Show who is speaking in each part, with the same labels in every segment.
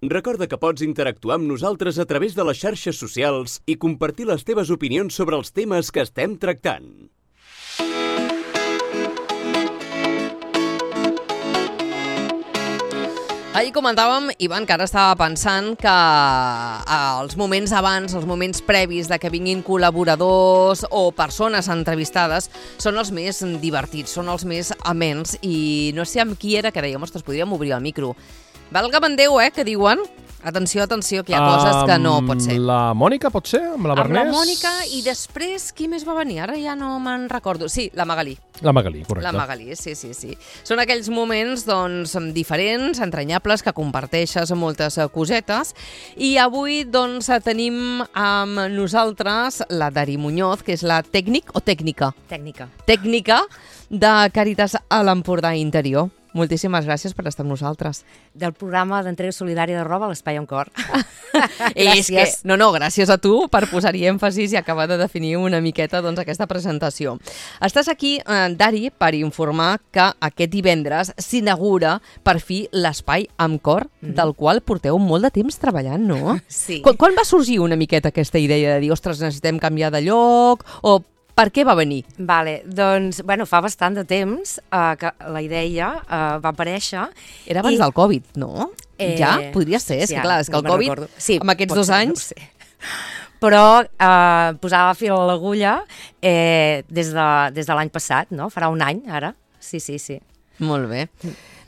Speaker 1: Recorda que pots interactuar amb nosaltres a través de les xarxes socials i compartir les teves opinions sobre els temes que estem tractant.
Speaker 2: Ahir comentàvem, Ivan, que ara estava pensant que els moments abans, els moments previs de que vinguin col·laboradors o persones entrevistades són els més divertits, són els més amens, i no sé amb qui era que dèiem, ostres, podríem obrir el micro. Valga Déu, que diuen, atenció, atenció, que hi ha coses que no pot ser.
Speaker 3: La Mònica, pot ser? Amb la Bernés?
Speaker 2: Amb la Mònica, i després, qui més va venir? Ara ja no me'n recordo. Sí, la Magalí.
Speaker 3: La Magalí, correcte.
Speaker 2: La Magalí, sí. Són aquells moments, doncs, diferents, entranyables, que comparteixes moltes cosetes. I avui, doncs, tenim amb nosaltres la Dari Muñoz, que és la tècnica Tècnica de Càritas a l'Empordà Interior. Moltíssimes gràcies per estar amb nosaltres.
Speaker 4: Del programa d'entrega solidària de roba a l'Espai amb Cor.
Speaker 2: Gràcies. Gràcies a tu per posar-hi èmfasis i acabar de definir una miqueta aquesta presentació. Estàs aquí, Dari, per informar que aquest divendres s'inaugura per fi l'Espai amb Cor, del qual porteu molt de temps treballant, no?
Speaker 4: Sí.
Speaker 2: Quan va sorgir una miqueta aquesta idea de dir, ostres, necessitem canviar de lloc, o per què va venir?
Speaker 4: Doncs, fa bastant de temps que la idea va aparèixer.
Speaker 2: Era abans del Covid, no? Ja? Podria ser, és que clar, és que el Covid, amb aquests 2 anys...
Speaker 4: Però posava fil a l'agulla des de l'any passat, no? Farà un any, ara. Sí.
Speaker 2: Molt bé.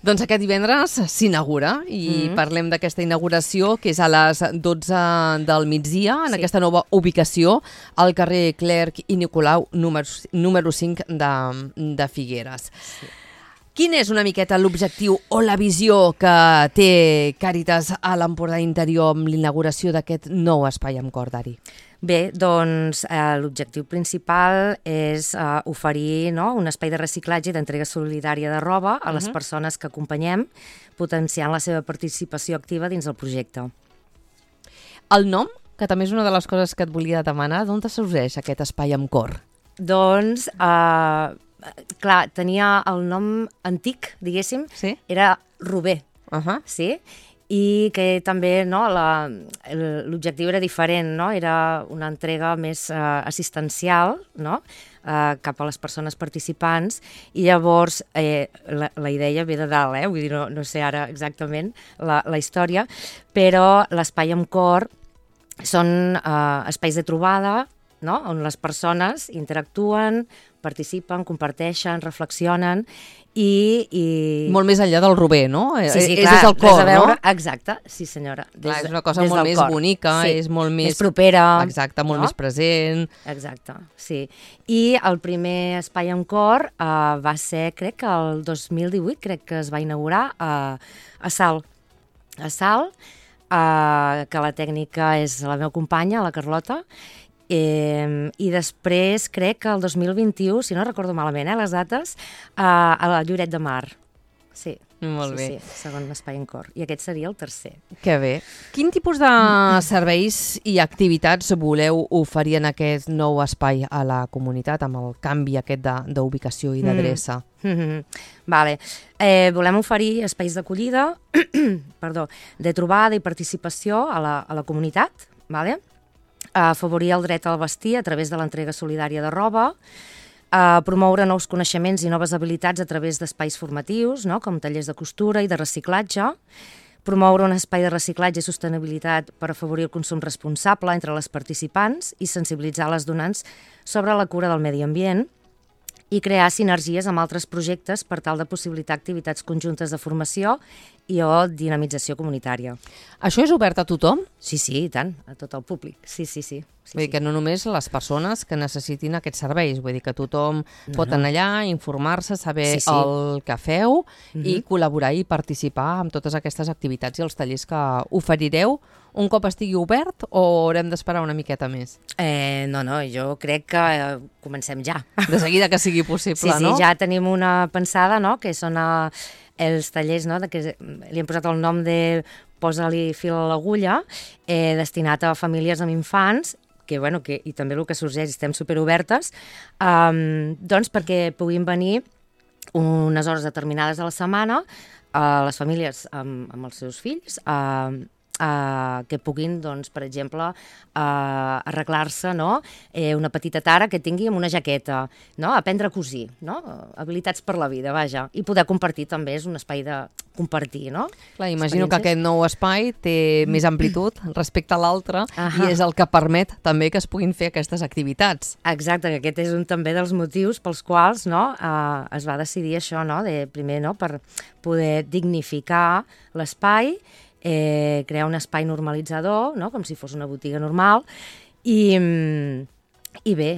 Speaker 2: Doncs aquest divendres s'inaugura i parlem d'aquesta inauguració, que és a les 12 del migdia, en aquesta nova ubicació, al carrer Clerc i Nicolau, número 5 de Figueres. Sí. Quin és una miqueta l'objectiu o la visió que té Càritas a l'Empordà Interior amb l'inauguració d'aquest nou espai amb Cor, Dari?
Speaker 4: Bé, doncs l'objectiu principal és oferir un espai de reciclatge i d'entrega solidària de roba a les persones que acompanyem, potenciant la seva participació activa dins del projecte.
Speaker 2: El nom, que també és una de les coses que et volia demanar, d'on sorgeix aquest espai amb Cor?
Speaker 4: Doncs, clar, tenia el nom antic, diguéssim, era Rober, sí? I que també l'objectiu era diferent, era una entrega més assistencial cap a les persones participants, i llavors la idea ve de dalt, vull dir, no sé ara exactament la història, però l'Espai amb Cor són espais de trobada, on les persones interactuen, participen, comparteixen, reflexionen i...
Speaker 2: Molt més enllà del Rober, no?
Speaker 4: Sí, clar,
Speaker 2: és el cor, no?
Speaker 4: Exacte, sí senyora.
Speaker 2: Clar, és una cosa molt més bonica, és molt més
Speaker 4: propera.
Speaker 2: Exacte, molt més present.
Speaker 4: Exacte, sí. I el primer Espai amb Cor va ser, crec que el 2018, crec que es va inaugurar a Salt. A Salt, que la tècnica és la meva companya, la Carlota, i després crec que el 2021, si no recordo malament les dates, a la Lloret de Mar. Sí.
Speaker 2: Molt bé.
Speaker 4: Sí, segon espai en Cor. I aquest seria el tercer.
Speaker 2: Que bé. Quin tipus de serveis i activitats voleu oferir en aquest nou espai a la comunitat, amb el canvi aquest d'ubicació i d'adreça?
Speaker 4: Vale. Volem oferir espais d'acollida, de trobada i participació a la comunitat, vale? Afavorir el dret al vestir a través de l'entrega solidària de roba, promoure nous coneixements i noves habilitats a través d'espais formatius, com tallers de costura i de reciclatge, promoure un espai de reciclatge i sostenibilitat per afavorir el consum responsable entre les participants i sensibilitzar les donants sobre la cura del medi ambient, i crear sinergies amb altres projectes per tal de possibilitar activitats conjuntes de formació i o dinamització comunitària.
Speaker 2: Això és obert a tothom?
Speaker 4: Sí, i tant, a tot el públic. Sí.
Speaker 2: Vull dir que no només les persones que necessitin aquests serveis, vull dir que tothom pot anar allà, informar-se, saber el que feu i col·laborar i participar en totes aquestes activitats i els tallers que oferireu un cop estigui obert, o haurem d'esperar una miqueta més?
Speaker 4: No, jo crec que comencem ja.
Speaker 2: De seguida que sigui possible, no?
Speaker 4: Sí, ja tenim una pensada, que són els tallers, que li hem posat el nom de Posa-li fil a l'agulla, destinat a famílies amb infants, i també el que sorgeix, estem superobertes, doncs perquè puguin venir unes hores determinades a la setmana a les famílies amb els seus fills, que puguin, doncs, per exemple, arreglar-se, no? Una petita tara que tingui amb una jaqueta, no? Aprendre a cosir, no? Habilitats per la vida, vaja. I poder compartir també, és un espai de compartir, no?
Speaker 2: Clar, imagino que aquest nou espai té més amplitud respecte a l'altre i és el que permet també que es puguin fer aquestes activitats.
Speaker 4: Exacte, que aquest és un també dels motius pels quals, no, es va decidir això, no? Primer, no, per poder dignificar l'espai, crear un espai normalitzador, no? Com si fos una botiga normal, i bé,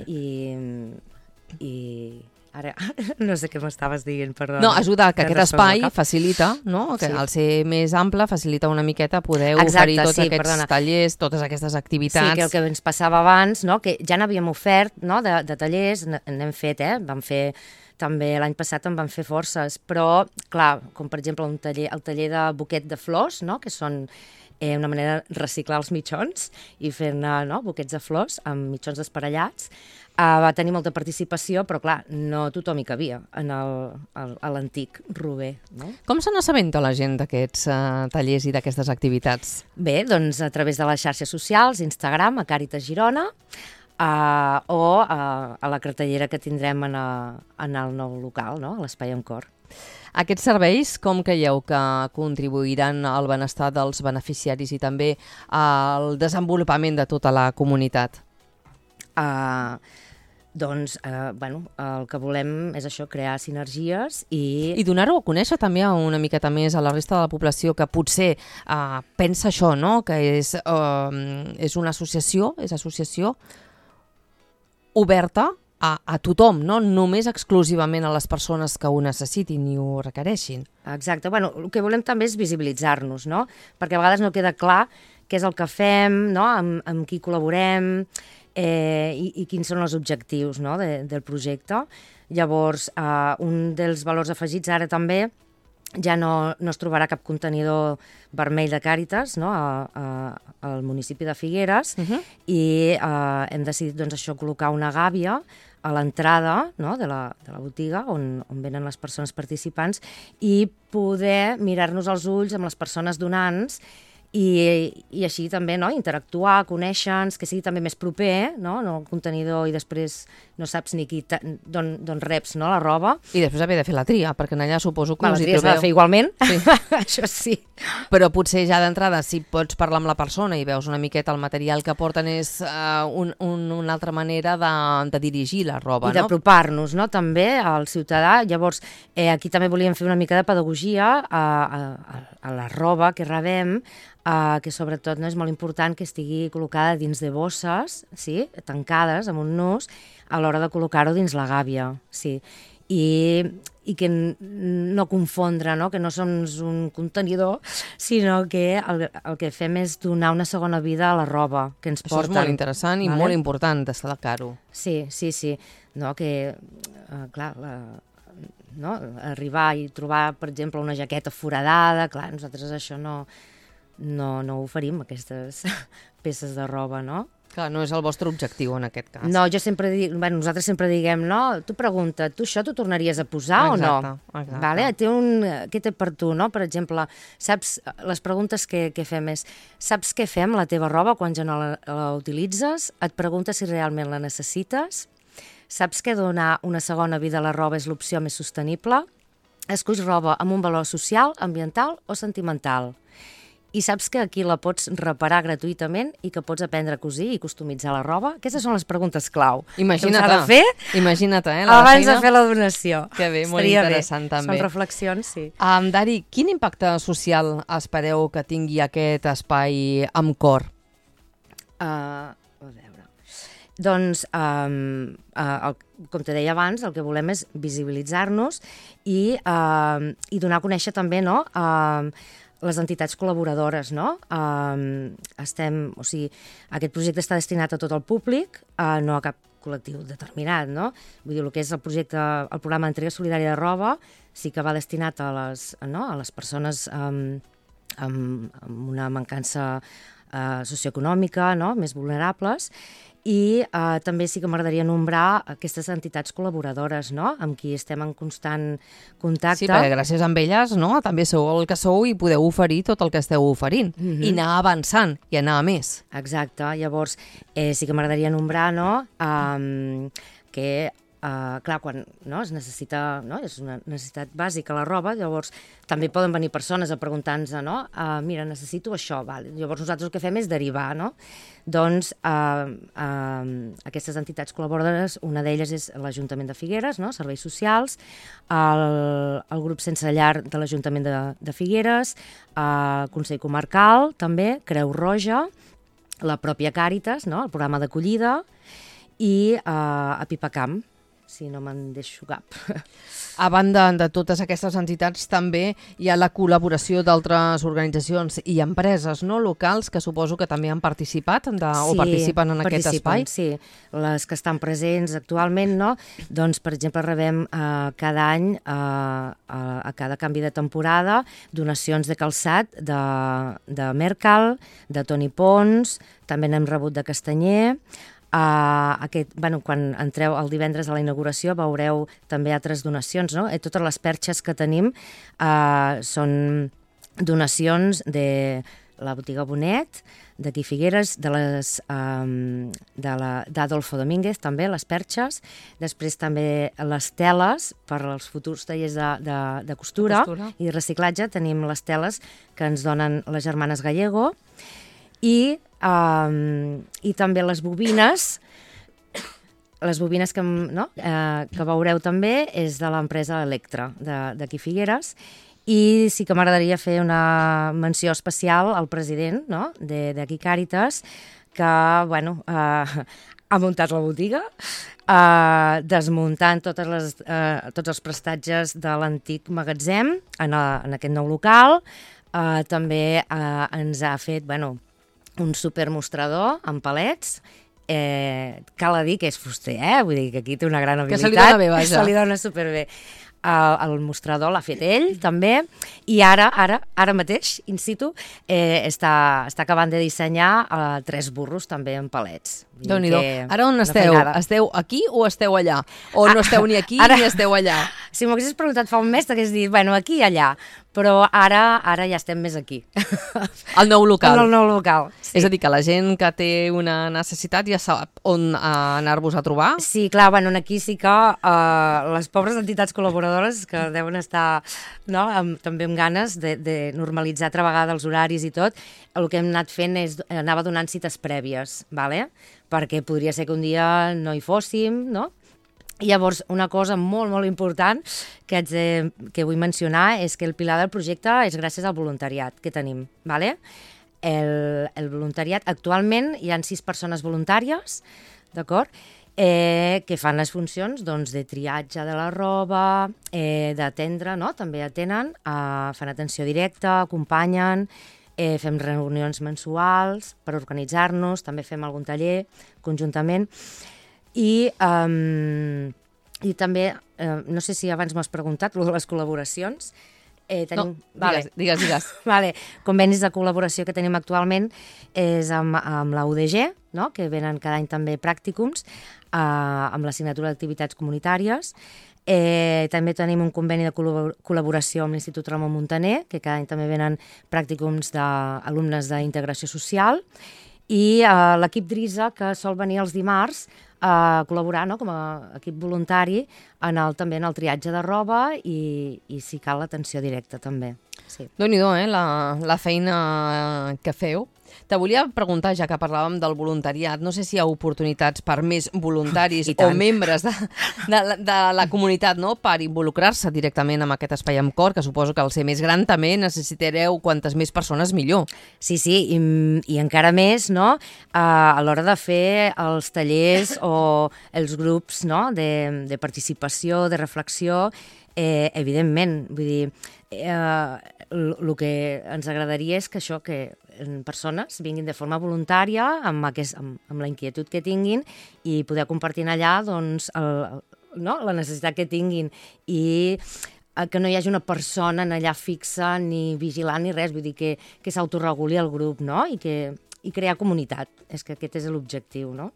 Speaker 4: ara no sé què m'estaves dient, perdona.
Speaker 2: No, ajuda que aquest espai facilita, no? Que al ser més ample facilita una miqueta poder oferir tots aquests tallers, totes aquestes activitats.
Speaker 4: Sí, que el que ens passava abans, no? Que ja n'havíem ofert, no? de tallers, n'hem fet, vam fer també l'any passat en van fer forces, però, clar, com per exemple el taller de buquet de flors, no? Que són una manera de reciclar els mitjons i fer-ne, no? Buquets de flors amb mitjons desparellats. Va tenir molta participació, però clar, no tothom hi cabia a l'antic Rober. No?
Speaker 2: Com se n'assabenta la gent d'aquests tallers i d'aquestes activitats?
Speaker 4: Bé, doncs a través de les xarxes socials, Instagram, a Càritas Girona, o a la cartellera que tindrem en el nou local, no? a l'Espai amb Cor.
Speaker 2: Aquests serveis, com creieu que contribuiran al benestar dels beneficiaris i també al desenvolupament de tota la comunitat?
Speaker 4: Doncs, el que volem és això, crear sinergies i
Speaker 2: donar-ho a conèixer també una miqueta més a la resta de la població que potser pensa això, no? Que és una associació, oberta a tothom, no només exclusivament a les persones que ho necessitin i ho requereixin.
Speaker 4: Exacte. El que volem també és visibilitzar-nos, no? Perquè a vegades no queda clar què és el que fem, no? amb qui col·laborem, i quins són els objectius, no? del projecte. Llavors, un dels valors afegits ara també ja no es trobarà cap contenidor vermell de Càritas, no? al municipi de Figueres, i hem decidit doncs, això, col·locar una gàbia a l'entrada, no? de la botiga on venen les persones participants i poder mirar-nos als ulls amb les persones donants i així també, no? Interactuar, conèixer-nos, que sigui també més proper, no? No el contenidor i després no saps ni d'on reps, no? la roba.
Speaker 2: I després haver de fer la tria, perquè allà suposo que
Speaker 4: la tria s'ha de fer igualment, sí. Això sí.
Speaker 2: Però potser ja d'entrada, si pots parlar amb la persona i veus una miqueta el material que porten, és una altra manera de dirigir la roba,
Speaker 4: no? I d'apropar-nos, no? També al ciutadà. Llavors, aquí també volíem fer una mica de pedagogia a la roba que rebem, que sobretot no és molt important que estigui col·locada dins de bosses, sí? Tancades amb un nus, a l'hora de col·locar-ho dins la gàbia. Sí. I que no confondre, no? Que no som un contenidor, sinó que el que fem és donar una segona vida a la roba que ens porten.
Speaker 2: Això és molt interessant i molt important destacar-ho.
Speaker 4: Sí. No, que, clar, no? Arribar i trobar, per exemple, una jaqueta foradada, clar, nosaltres això no oferim, aquestes peces de roba, no?
Speaker 2: Clar, no és el vostre objectiu en aquest cas.
Speaker 4: No, jo sempre dic, nosaltres sempre diguem, no, tu pregunta, tu això t'ho tornaries a posar o no?
Speaker 2: Exacte.
Speaker 4: Vale? Què té per tu, no? Per exemple, saps, les preguntes que fem és, saps què fem amb la teva roba quan ja no la utilitzes? Et preguntes si realment la necessites? Saps que donar una segona vida a la roba és l'opció més sostenible? Esculls roba amb un valor social, ambiental o sentimental? I saps que aquí la pots reparar gratuïtament i que pots aprendre a cosir i customitzar la roba? Aquestes són les preguntes clau.
Speaker 2: Imagina't,
Speaker 4: abans de fer la donació.
Speaker 2: Que bé, molt interessant també.
Speaker 4: Són reflexions, sí.
Speaker 2: Dari, quin impacte social espereu que tingui aquest espai amb Cor?
Speaker 4: A veure... Doncs, com te deia abans, el que volem és visibilitzar-nos i donar a conèixer també, no?, les entitats col·laboradores, no? Aquest projecte està destinat a tot el públic, no a cap col·lectiu determinat, no? Vull dir, el que és el projecte, el programa d'entrega solidària de roba, sí que va destinat a les persones amb una mancança socioeconòmica, no? Més vulnerables, I també sí que m'agradaria nombrar aquestes entitats col·laboradores, no?, amb qui estem en constant contacte.
Speaker 2: Sí, perquè gràcies a elles, no?, també sou el que sou i podeu oferir tot el que esteu oferint. I anar avançant i anar a més.
Speaker 4: Exacte. Llavors, sí que m'agradaria nombrar, no?, que clar, quan es necessita, no? És una necessitat bàsica la roba, llavors també poden venir persones a preguntar-nos, no? Mira, necessito això, val. Llavors nosaltres el que fem és derivar, no? Doncs aquestes entitats col·laboradores, una d'elles és l'Ajuntament de Figueres, no? Serveis socials, el grup Sense Llar de l'Ajuntament de Figueres, el Consell Comarcal, també, Creu Roja, la pròpia Càritas, no? El programa d'acollida, i a Pipacamp, si no me'n deixo cap.
Speaker 2: A banda de totes aquestes entitats, també hi ha la col·laboració d'altres organitzacions i empreses, no?, locals, que suposo que també han participat o participen en aquest espai.
Speaker 4: Sí, les que estan presents actualment, no? Doncs, per exemple, rebem cada any, a cada canvi de temporada, donacions de calçat de Mercal, de Toni Pons, també n'hem rebut de Castanyer. Quan entreu el divendres a la inauguració veureu també altres donacions, no? Totes les perxes que tenim són donacions de la botiga Bonet, d'aquí Figueres, d'Adolfo Domínguez, també, les perxes. Després també les teles per als futurs tallers de costura i reciclatge. Tenim les teles que ens donen les germanes Gallego. I també les bobines que veureu també és de l'empresa Electra, d'aquí Figueres. I sí que m'agradaria fer una menció especial al president, no?, d'aquí Càritas, que ha muntat la botiga, desmuntant tots els prestatges de l'antic magatzem en aquest nou local. També ens ha fet un supermostrador amb palets. Cal dir que és fuster, vull dir que aquí té una gran habilitat.
Speaker 2: Que se li dona bé, vaja.
Speaker 4: Se li dona superbé. El mostrador l'ha fet ell, també, i ara mateix, in situ, està acabant de dissenyar 3 burros també en palets.
Speaker 2: Déu-n'hi-do. Ara on esteu? Esteu aquí o esteu allà? O no esteu ni aquí ni esteu allà?
Speaker 4: Si m'ho haguessis preguntat fa un mes, t'hagués dit, aquí i allà, però ara ja estem més aquí.
Speaker 2: Al nou local.
Speaker 4: Al nou local, sí.
Speaker 2: És a dir, que la gent que té una necessitat ja sap on anar-vos a trobar?
Speaker 4: Sí, clar, aquí sí que les pobres entitats col·laboradores que deuen estar també amb ganes de normalitzar altra vegada els horaris i tot, el que hem anat fent és anava donant cites prèvies, perquè podria ser que un dia no hi fóssim, no? I llavors, una cosa molt, molt important que vull mencionar és que el pilar del projecte és gràcies al voluntariat que tenim, El voluntariat, actualment hi ha 6 persones voluntàries, d'acord?, que fan les funcions de triatge de la roba, d'atendre, també atenen, fan atenció directa, acompanyen, fem reunions mensuals per organitzar-nos, també fem algun taller conjuntament. I també, no sé si abans m'has preguntat, les col·laboracions.
Speaker 2: No, digues.
Speaker 4: Convenis de col·laboració que tenim actualment és amb la UDG, que venen cada any també pràcticums, amb l'assignatura d'activitats comunitàries. També tenim un conveni de col·laboració amb l'Institut Ramon Muntaner, que cada any també venen pràcticums d'alumnes d'integració social, i l'equip DRISA, que sol venir els dimarts a col·laborar com a equip voluntari també en el triatge de roba i si cal l'atenció directa també. Sí.
Speaker 2: Déu-n'hi-do, la feina que feu. Te volia preguntar, ja que parlàvem del voluntariat, no sé si hi ha oportunitats per més voluntaris o membres de la comunitat per involucrar-se directament amb aquest espai amb cor, que suposo que al ser més gran també necessitareu quantes més persones millor.
Speaker 4: Sí, i encara més a l'hora de fer els tallers o els grups de participació, de reflexió, evidentment, vull dir, el que ens agradaria és que persones vinguin de forma voluntària amb la inquietud que tinguin i poder compartir allà la necessitat que tinguin i que no hi hagi una persona allà fixa ni vigilant ni res, vull dir que s'autoreguli el grup i crear comunitat, és que aquest és l'objectiu, no?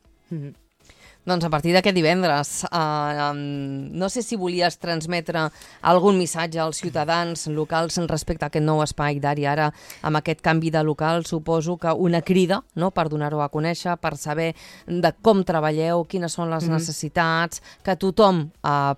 Speaker 2: Doncs a partir d'aquest divendres, no sé si volies transmetre algun missatge als ciutadans locals respecte a aquest nou espai d'Ari Ara, amb aquest canvi de local, suposo que una crida, no?, per donar-ho a conèixer, per saber de com treballeu, quines són les necessitats, que tothom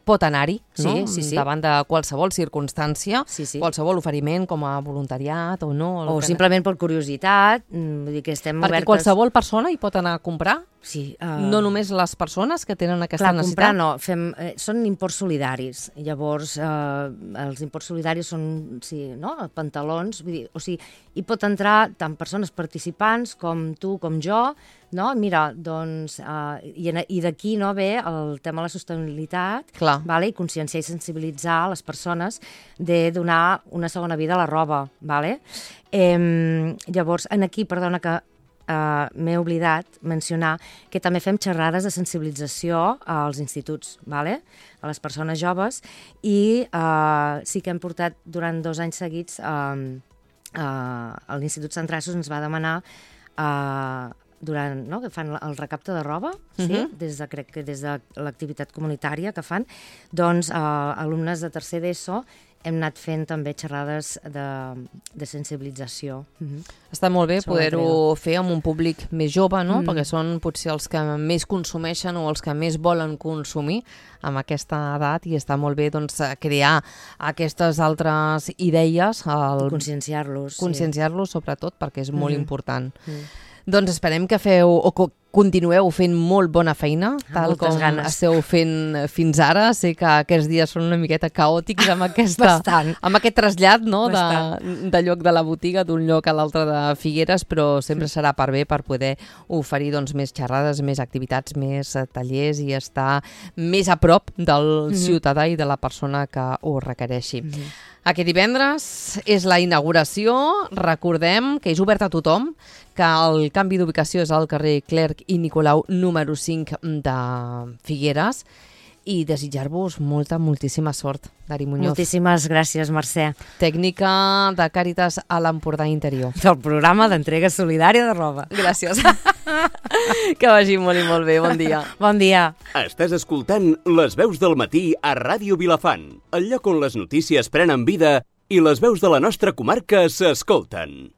Speaker 2: pot anar-hi, no?, davant de qualsevol circumstància, qualsevol oferiment com a voluntariat o no.
Speaker 4: O simplement per curiositat, vull dir que estem obertes...
Speaker 2: Perquè qualsevol persona hi pot anar a comprar?
Speaker 4: Sí.
Speaker 2: No només les persones que tenen aquesta necessitat?
Speaker 4: Clar, comprar no. Són imports solidaris. Llavors, els imports solidaris són, pantalons. Vull dir, o sigui, hi pot entrar tant persones participants com tu, com jo, no? Mira, doncs, i d'aquí ve el tema de la sostenibilitat, i conscienciar i sensibilitzar les persones de donar una segona vida a la roba. Llavors, aquí, perdona que m'he oblidat mencionar que també fem xerrades de sensibilització als instituts, a les persones joves, i sí que hem portat durant 2 anys seguits l'Institut Sant Traços ens va demanar que fan el recapte de roba, crec que des de l'activitat comunitària que fan, doncs alumnes de tercer d'ESO hem anat fent també xerrades de sensibilització.
Speaker 2: Està molt bé poder-ho fer amb un públic més jove, no? Perquè són potser els que més consumeixen o els que més volen consumir amb aquesta edat, i està molt bé crear aquestes altres idees.
Speaker 4: Conscienciar-los.
Speaker 2: Conscienciar-los, sobretot, perquè és molt important. Doncs esperem que continueu fent molt bona feina, tal com esteu fent fins ara. Sé que aquests dies són una miqueta caòtics amb aquest trasllat de lloc de la botiga d'un lloc a l'altre de Figueres, però sempre serà per bé per poder oferir més xerrades, més activitats, més tallers i estar més a prop del ciutadà i de la persona que ho requereixi. Aquest divendres és la inauguració. Recordem que és obert a tothom, que el canvi d'ubicació és al carrer Clerc i Nicolau número 5 de Figueres, i desitjar-vos moltíssima sort, Dari Muñoz.
Speaker 4: Moltíssimes gràcies, Mercè.
Speaker 2: Tècnica de Càritas a l'Empordà Interior.
Speaker 4: Del programa d'entrega solidària de roba.
Speaker 2: Gràcies. Que vagi molt i molt bé. Bon dia.
Speaker 4: Bon dia.
Speaker 1: Estàs escoltant Les veus del matí a Ràdio Vilafant, el lloc on les notícies prenen vida i les veus de la nostra comarca s'escolten.